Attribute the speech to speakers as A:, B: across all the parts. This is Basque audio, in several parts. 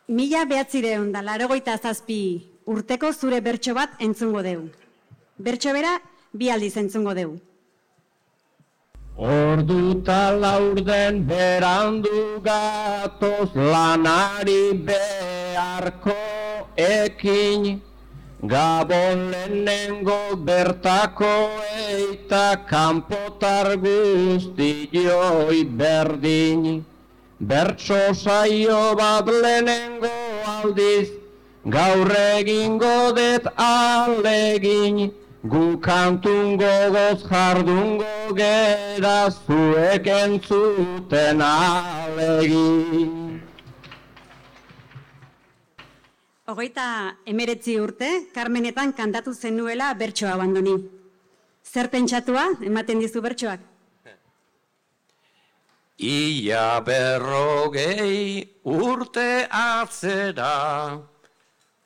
A: 1987 urteko zure bertso bat entzungo deu. Bertso bera 2 aldiz entzungo deu.
B: Orduta laurden berandu gatoz lanari beharko ekin, Gabon lehenengo bertako eita kanpotar guztioi berdin. Bertso saio bat lehenengo aldiz, gaur egingo det alegin, gu kantun gogoz jardungo gera zuek entzuten alegin.
A: 39 urte, Karmenetan kantatu zenuela bertsoa abandoni. Zer pentsatua ematen dizu bertsoak?
B: Ia 40 urte atzera,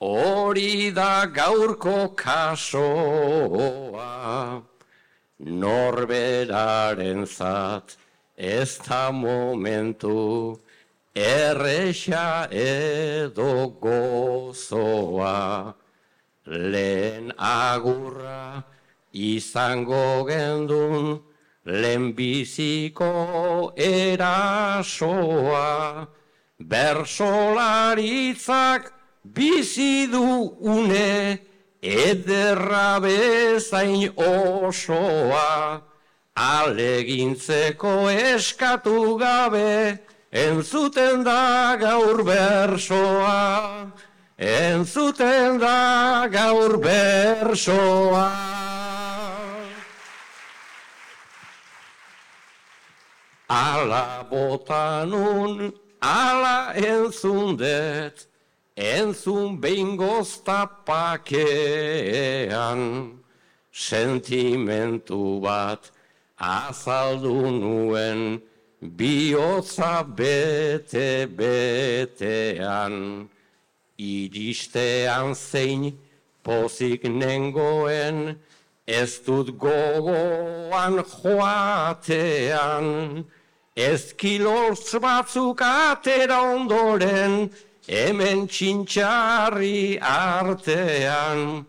B: hori da gaurko kasoa. Norberarentzat ez da momentu, erresa edo gozoa. Lehen agurra izango gendun, lehenbiziko erasoa. Bersolaritzak bizi du une, ederra bezain osoa. Alegintzeko eskatu gabe, entzuten da gaur bersoa, entzuten da gaur bersoa. Ala botanun, ala entzundet, entzun behingoz tapakean, sentimentu bat azaldu nuen, bihotza bete-betean, iristean zein pozik nengoen, ez dut gogoan joatean, ezkilortz batzuk atera ondoren, hemen txintxarri artean,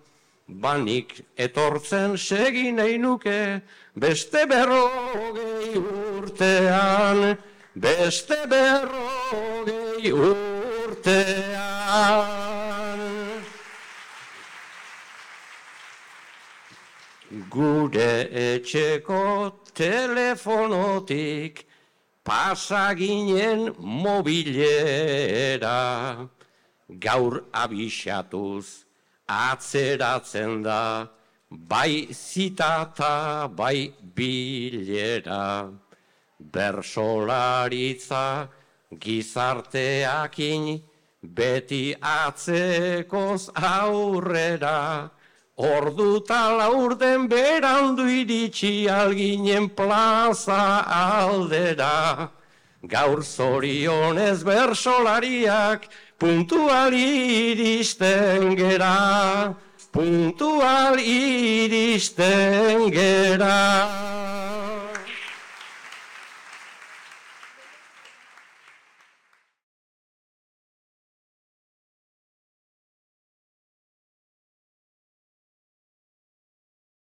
B: banik etortzen segin nahi nuke, beste 40 urtean, beste 40 urtean. Gure etxeko telefonotik pasa ginen mobilera, gaur abixatuz atzeratzen da, bai zitata, bai bilera. Bersolaritza gizarteakin beti atzekoz aurrera, orduta laurden berandu iritsi alginen plaza aldera. Gaur zorionez bersolariak puntual iristen gera, puntual iristen gera.